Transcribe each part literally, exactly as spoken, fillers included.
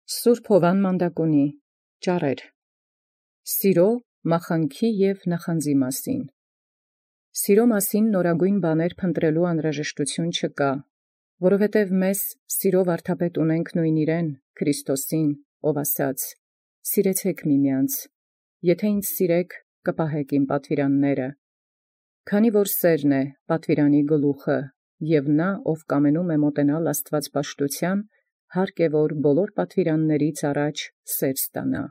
Սուրբ Հովան Մանդակոնի ճառեր Սիրո, մախանքի և նախանձի մասին Սիրո մասին նորագույն բաներ փնտրելու անհրաժեշտություն չկա, որովհետև մեզ սիրով վարդապետ ունենք նույն իրեն, Քրիստոսին, ով ասաց. «Սիրեցեք միմյանց, եթե ինձ սիրեք, կպահեք իմ պատվիրանները»։ Քանի որ սերն է պատվիրանի գլուխը, և նա, ով կամենում է մոտենալ աստվածպաշտութեան, հարկ է, որ բոլոր պատվիրաններից առաջ սեր ստանա։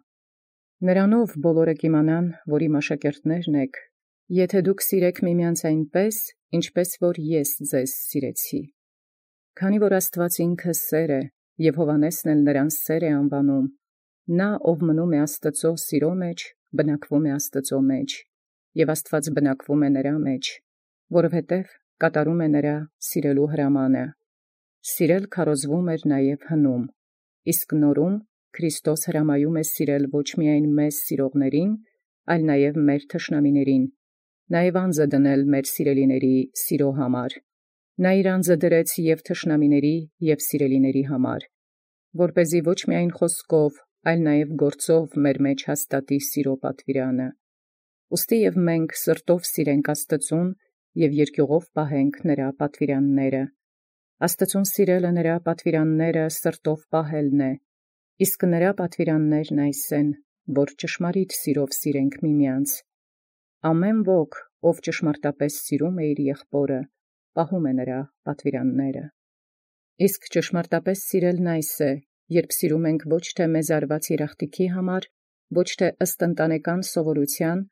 Նրանով բոլորը կիմանան, որ իմ աշակերտներն եք, եթե դուք սիրեք միմյանց այնպես, ինչպես որ ես ձեզ սիրեցի։ Քանի որ Աստված ինքը սեր է, և Հովհաննեսն էլ նրան սեր է անվանում, նա, ով մնում է Աստծո սիրո մեջ, բնակվում է Աստծո մեջ, և Աստված բնակվում է նրա մեջ, որովհետև կատարում է նրա սիրելու հրամանը։ Սիրել քարոզվում էր նաև հնում, իսկ նորում Քրիստոս հրամայում է սիրել ոչ միայն մեզ սիրողներին, այլ նաև մեր թշնամիներին, նաև անձը դնել մեր սիրելիների սիրո համար։ Նա իր անձը դրեց և թշնամիների և սիրելիների համար, որպեսզի ոչ միայն խոսքով, այլ նաև գործով մեր մեջ հաստատի սիրո պատվիրանը։ Ուստի և մենք սրտով սիրենք Աստծուն և երկյուղով պահենք նրա պատվիրանները։ Աստծուն սիրելը նրա պատվիրանները սրտով պահելն է, իսկ նրա պատվիրաններն այս են, որ ճշմարիտ սիրով սիրենք միմյանց։ Ամեն ոք, ով ճշմարտապես սիրում է իր եղբորը, պահում է նրա պատվիրանները։ Իսկ ճշմարտապես սիրելն այս է, երբ սիրում ենք ոչ թե մեզ արված երախտիքի համար, ոչ թե ըստ ընտանեկան սովորութեան,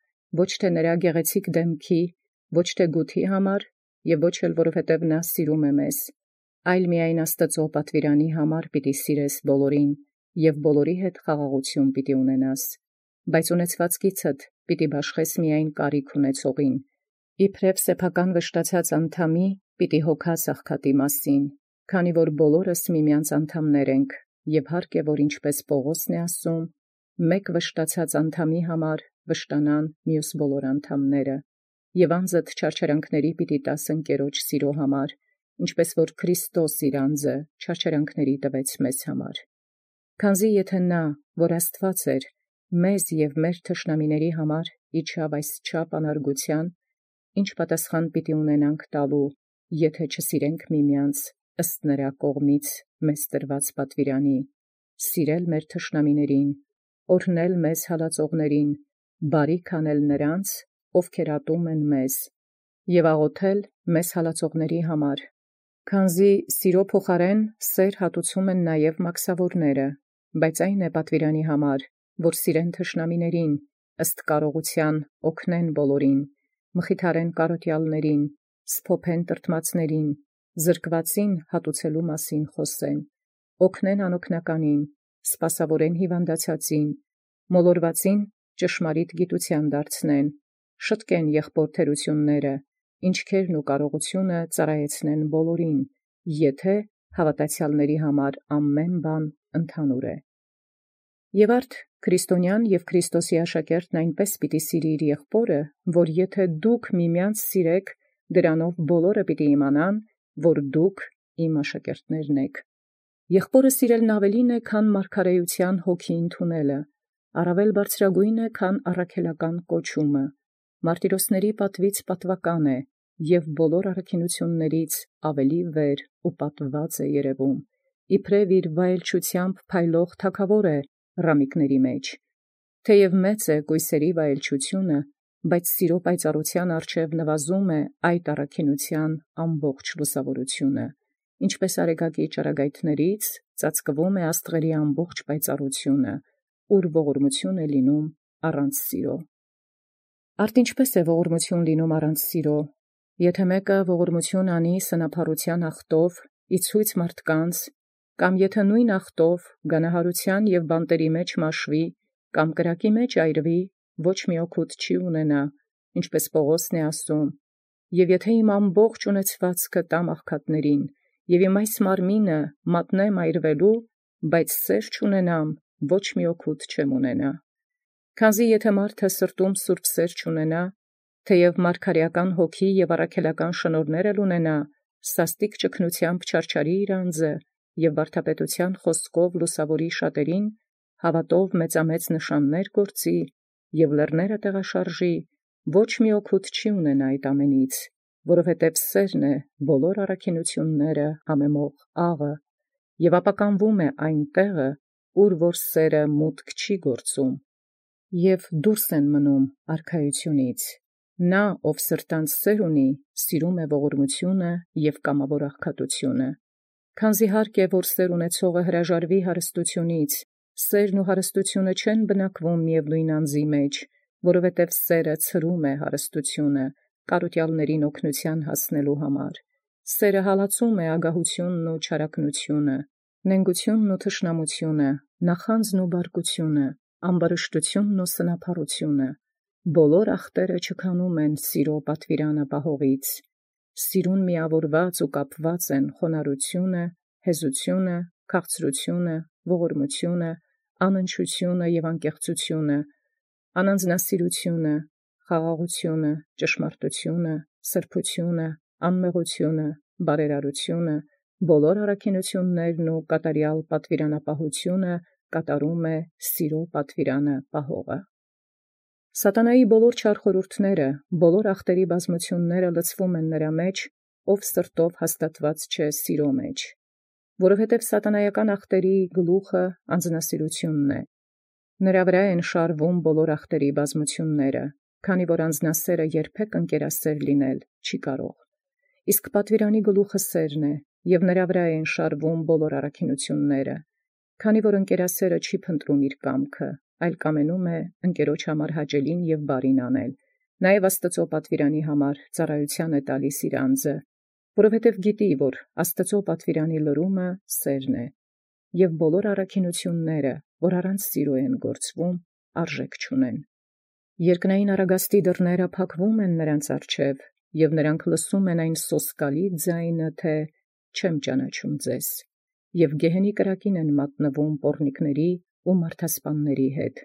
ոչ թե նրա գեղեցիկ դեմքի, ոչ թե գութի համար, և ոչ էլ որովհետև նա սիրում է մեզ, այլ միայն Աստծո պատվիրանի համար պիտի սիրես բոլորին, և բոլորի հետ խաղաղություն պիտի ունենաս, բայց ունեցվածքիցդ պիտի բաշխես միայն կարիք ունեցողին, իբրև սեփական վշտացած անդամի պիտի հոգաս աղքատի մասին, քանի որ բոլորս միմյանց անդամներ ենք, և հարկ է, որ ինչպես Պողոսն է ասում, մեկ վշտացած անդամի համար վշտանան մյուս բոլոր անդամները, և անձդ չարչարանքների պիտի տաս ընկերոջ սիրո համար, ինչպես որ Քրիստոս իր անձը չարչարանքների տվեց մեզ համար։ Քանզի եթե նա, որ Աստված էր, մեզ և մեր թշնամիների համար իջավ այսչափ անարգութեան, ինչ պատասխան պիտի ունենանք տալու, եթե չսիրենք միմյանց ըստ նրա կողմից մեզ տրված պատվիրանի, սիրել մեր թշնամիներին, օրհնել մեզ հալածողներին, բարիք անել նրանց, ովքեր ատում են մեզ, և աղոթել մեզ հալածողների համար, քանզի սիրո փոխարեն սեր հատուցում են նաև մաքսավորները, բայց այն է պատվիրանի համար, որ սիրեն թշնամիներին, ըստ կարողության օգնեն բոլորին, մխիթարեն կարոտյալներին, սփոփեն տրտմածներին, զրկվածին հատուցելու մասին խոսեն, օգնեն անօգնականին, սպասավորեն հիվանդացածին, մոլորվածին ճշմարիտ գիտության դարձնեն, շտկեն եղբոր թերությունները, ինչքերն ու կարողությունը ծառայեցնեն բոլորին, եթե հավատացյալների համար ամեն բան ընդհանուր է։ Եւ արդ քրիստոնյան և Քրիստոսի աշակերտն այնպես պիտի սիրի իր եղբորը, որ եթե դուք միմյանց սիրեք, դրանով բոլորը պիտի իմանան, որ դուք իմ աշակերտներն եք։ Եղբորը սիրելն ավելին է, քան մարգարեության հոգի ընդունելը, առավել բարձրագույն է, քան առաքելական կոչումը, մարտիրոսների պատվից պատվական է և բոլոր առաքինություններից ավելի վեր ու պատված է երևում, իբրև իր վայելչությամբ փայլող թագավոր է ռամիկների մեջ, թեև մեծ է կույսերի վայելչությունը, բայց սիրո պայծառության առջև նվազում է այդ առաքինության ամբողջ լուսավորությունը, ինչպես արեգակի ճառագայթներից ծածկվում է աստղերի ամբողջ պայծառությունը, ուր ողորմություն է լինում առանց սիրո։ Արդ ինչպես է ողորմություն լինում առանց սիրո, եթե մեկը ողորմություն անի սնափառության ախտով, իցույց մարդկանց, կամ եթե նույն ախտով գանահարության և բանտերի մեջ մաշվի, կամ կրակի մեջ այրվի, ոչ մի օգուտ չի ունենա, ինչպես Պողոսն է ասում, և եթե իմ ամբողջ ունեցվածքը տամ աղքատներին, և իմ այս մարմինը մատնեմ այրվելու, բայց սեր չունենամ, ոչ մի օգուտ չեմ ունենա։ Քանզի եթե մարդը սրտում սուրբ սեր չունենա, թեև մարգարեական հոգի և առաքելական շնորհներ էլ ունենա, սաստիկ ճգնությամբ չարչարի իր անձը, և վարդապետութեան խոսքով լուսաւորի շատերին, հաւատով մեծամեծ նշաններ գործի, և լեռները տեղաշարժի, ոչ մի օգուտ չի ունենա այդ ամենից, որովհետև սերն է բոլոր առաքինութիւնները համեմող աղը, և ապականվում է այն տեղը, ուր որ սերը մուտք չի գործում, և դուրս են մնում արքայութիւնից։ Նա, ով սրտանց սեր ունի, սիրում է ողորմութիւնը և կամավոր աղքատութիւնը։ Քանզի հարկ է, որ սեր ունեցողը հրաժարվի հարստութիւնից, սերն ու հարստութիւնը չեն բնակվում միևնույն անձի մեջ, որովհետև սերը ցրում է հարստութիւնը, կարուտյալներին օգնութեան հասնելու համար։ Սերը հալածում է ագահութիւնն ու չարակնութիւնը, նենգութիւնն ու թշնամութիւնը, նախանձն ու բարկութիւնը, ամբարշտութիւնն ու սնափառութիւնը։ Բոլոր ախտերը չքանում են սիրո պատուիրանը պահողից։ Սիրուն միավորված ու կապված են խոնարհութիւնը, հեզութիւնը, քաղցրութիւնը, ողորմութիւնը, անընչութիւնը և անկեղծութիւնը, անանձնասիրութիւնը, խաղաղութիւնը, ճշմարտութիւնը, սրբութիւնը, անմեղութիւնը, բարերարութիւնը, բոլոր առաքինութիւններն ու կատարեալ պատուիրանապահութիւնը կատարում է սիրո պատուիրանը պահողը։ Սատանայի բոլոր չար խորհուրդները, բոլոր ախտերի բազմությունները լցվում են նրա մեջ, ով սրտով հաստատված չէ սիրո մեջ, որովհետև սատանայական ախտերի գլուխը անձնասիրութիւնն է։ Նրա վրա են շարվում բոլոր ախտերի բազմությունները, քանի որ անձնասերը երբեք ընկերասեր լինել չի կարող։ Իսկ պատուիրանի գլուխը սերն է, և նրա վրա են շարվում բոլոր առաքինութիւնները, քանի որ ընկերասերը չի փնտրում իր կամքը, այլ կամենում է ընկերոջ համար հաճելին և բարին անել, նաև Աստուծոյ պատուիրանի համար ծառայութեան է տալիս իր անձը, որովհետև գիտի, որ Աստուծոյ պատուիրանի լրումը սերն է, և բոլոր առաքինութիւնները, որ առանց սիրո են գործվում, արժեք չունեն։ Երկնային առագաստի դռները փակվում են նրանց առջև, և նրանք լսում են այն սոսկալի ձայնը, թե «Չեմ ճանաչում ձեզ», և գեհենի կրակին են մատնվում պոռնիկների ու մարդասպանների հետ,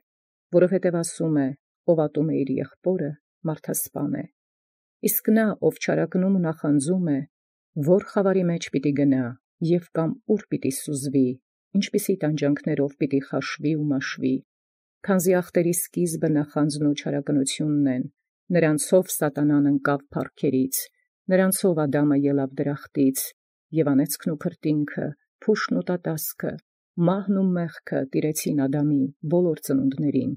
որովհետև ասում է. «Ով ատում է իր եղբորը, մարդասպան է»։ Իսկ նա, ով չարակնում ու նախանձում է, ո՞ր խավարի մեջ պիտի գնա, և կամ ուր պիտի սուզվի, ինչպիսի տանջանքներով պիտի խաշվի ու մաշվի։ Քանզի ախտերի սկիզբը նախանձն ու չարակնությունն են, նրանցով սատանան ընկավ փառքերից, նրանցով Ադամը ելավ դրախտից, և անեծքն ու քրտինքը, փուշն ու տատասքը, մահն ու մեղքը տիրեցին Ադամի բոլոր ծնունդներին,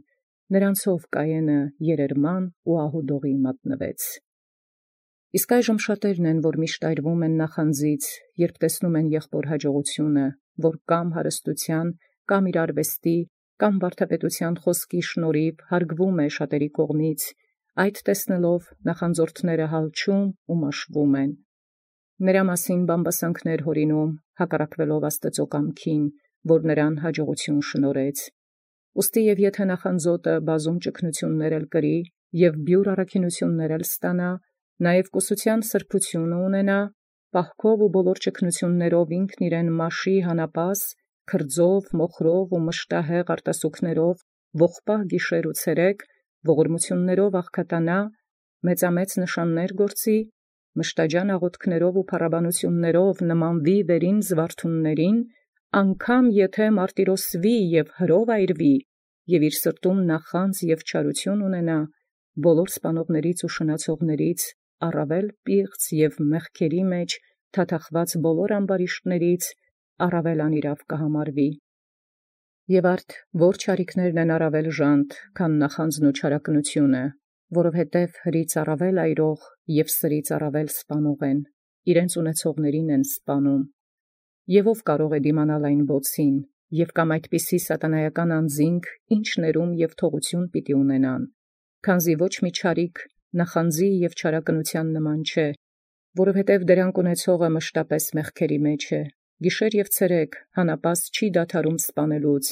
նրանցով Կայենը երերման ու ահուդողի մատնվեց։ Իսկ այժմ շատերն են, որ միշտ այրվում են նախանձից, երբ տեսնում են եղբոր հաջողութիւնը, որ կամ հարստութեան, կամ իր արվեստի, կամ վարդապետութեան խոսքի շնորհիվ հարգվում է շատերի կողմից, այդ տեսնելով նախանձորդները հալչում ու մաշվում են։ Նրա մասին բամբասանքներ հորինում, հակառակվելով Աստուծոյ կամքին, որ նրան հաջողութիւն շնորհեց։ Ուստի և եթե նախանձոտը բազում ճգնութիւններ էլ կրի և բիւր առաքինութիւններ էլ ստանա, նաև կուսութեան սրբութիւնը ունենա, պահքով ու բոլոր ճգնութիւններով ինքն իրեն մաշի հանապաս, քրձով, մոխրով ու մշտահեղ արտասուքներով, ողբահ գիշեր ու ցերեկ, ողորմութիւններով աղքատանա, մեծամեծ նշաններ գործի, մշտաջան աղոթքներով ու փառաբանութիւններով նմանվի վերին զվարթուններին, անգամ եթե մարտիրոսվի և հրով այրվի, և իր սրտում նախանձ և չարութիւն ունենա, բոլոր սպանողներից ու շնացողներից առավել պիղծ և մեղքերի մեջ թաթախված բոլոր ամբարիշտներից առավել անիրաւ կհամարվի։ Եւ արդ ո՛ր չարիքներն են առավել ժանտ, քան նախանձն ու չարակնութիւնը, որովհետև հրից առավել այրող և սրից առավել սպանող են, իրենց ունեցողներին են սպանում։ Եւ ո՛վ կարող է դիմանալ այն բոցին, և կամ այդպիսի սատանայական անձինք ինչ ներում և թողութիւն պիտի ունենան, քանզի ոչ մի չարիք նախանձի և չարակնութեան նման չէ, որովհետև դրանք ունեցողը մշտապես մեղքերի մեջ է, գիշեր և ցերեկ հանապաս չի դադարում սպանելուց,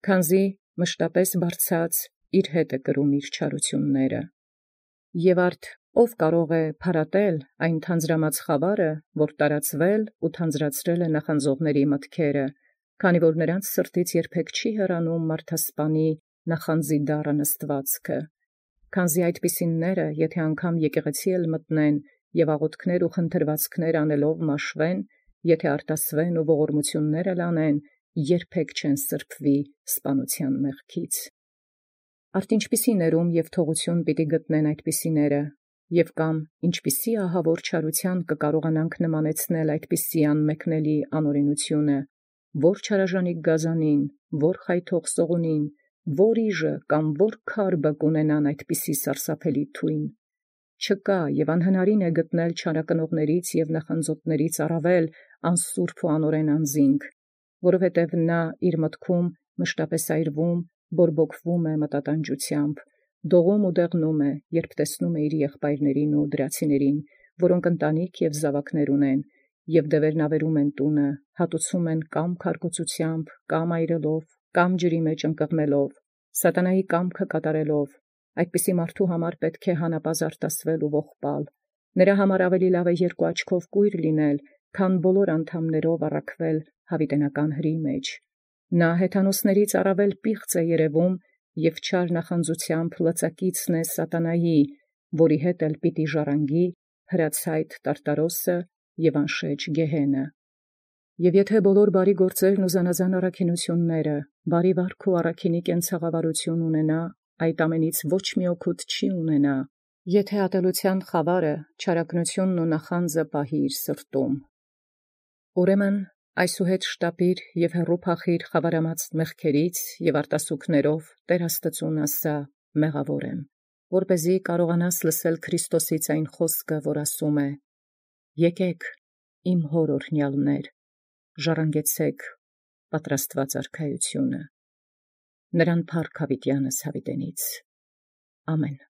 քանզի մշտապես բարձած իր հետ է կրում իր չարութիւնները։ Եւ արդ ո՛վ կարող է փարատել այն թանձրամած խավարը, որ տարածվել ու թանձրացրել է նախանձողների մտքերը, քանի որ նրանց սրտից երբեք չի հեռանում մարդասպանի նախանձի դառը նստվածքը, քանզի այդպիսինները, եթե անգամ եկեղեցի էլ մտնեն և աղոթքներ ու խնդրվածքներ անելով մաշվեն, եթէ արտասուեն և ողորմութիւնս լանեն, երբեք չեն սրբոյ սպանութեան մեղքից։ Արդ ինչպիսի ներում և թողութիւն պիտի գտնեն այդպիսիները, և կամ ինչպիսի ահաւոր չարութեան կկարողանանք նմանեցնել այդպիսիան մեկնելի անօրենութիւնը, ո՛ր չարաժանիկ գազանին, ո՛ր խայթող սողունին, ո՛ր իժը կամ ո՛ր քարբը կունենան այդպիսի սարսափելի թույն։ Չկա և անհնարին է գտնել չարակնողաց և նախանձոտաց առաւել անսուրբ և անօրէն անձինք, որովհետև նորա մտաւ մշտապէս այրուում, բորբոքվում է մտատանջութեամբ, դողում և դեղնում է, յորժամ տեսնում է եղբայրացն և դրացիցն, որք ընտանիք և զաւակս ունին, և դևերնաւերում են տունը, հատուցում են կամ քարկոծութեամբ, կամ այրելով, կամ ջրի մեջ ընկղմելով, սատանայիւ կամքը կատարելով, այդպիսի համար պետք է հանապազորդել արտասուել և ողբալ. նորա համար առաւել լաւ է երկու աչքով կոյր լինել, քան ամենայն անդամաւք առաքվել յաւիտենական հրի։ Նա հեթանոսաց առաւել պիղծ է երևում և չար նախանձութեամբ լծակիցն է սատանայիւ, որի հետ էլ պիտի ժառանգի հրացայտ տարտարոսս և անշէջ գեհենը։ Եւ եթէ ամենայն բարեգործ և զանազան առաքինութիւնս, բարեաց վարուք և առաքինի կենցաղավարութիւն ունենայ, այդ ամենից ոչ մի օգուտ չի ունենա, եթէ ատելութեան խաւարը, չարակնութիւնն և նախանձը պահի սրտոյ։ Ուրեմն այսուհետ շտապիր և հեռու փախիր խաւարամած մեղքերից և արտասուքներով Տէր Աստուծոյ ասա. «Մեղաւոր եմ», որպէզի կարողանաս լսել Քրիստոսից այն խոսքը, որ ասէ. «Եկէք, իմ Հօրն օրհնեալսն, ժառանգեցէք պատրաստուած արքայութիւնը, նորա փառք յաւիտեանս յաւիտենից։ Ամէն»։